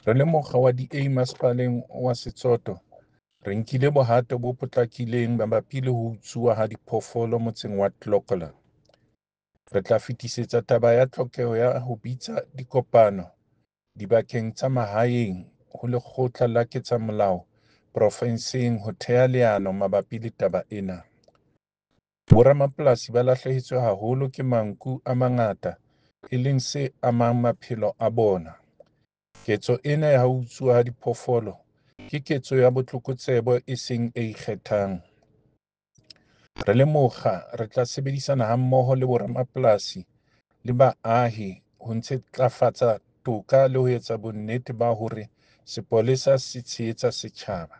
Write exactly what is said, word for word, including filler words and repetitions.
Re le mokga wa D A Masepaleng wa Setsoto, re nkile bohato bo potlakileng mabapi le ho utsuwa ha diphoofolo motseng wa Clocolan. Re tla fetisetsa taba ya tlhokeho ya ho bitsa dikopano dibakeng tsa mahaeng ho Lekgotla la Ketsamolao Porofenseng ho theha leano mabapi le taba ena. Boramapolasi ba lahlehetswe haholo ke manku a mangata e leng se amang maphelo a bona. Ketso ena ya ho utsuwa ha diphoofolo ke ketso ya botlokotsebe e seng e ikgethang. Re le mokga re tla sebedisana hammoho le boramapolasi le baahi ho ntlafatsa toka le ho etsa bonnete ba hore sepolesa se tshehetsa setjhaba.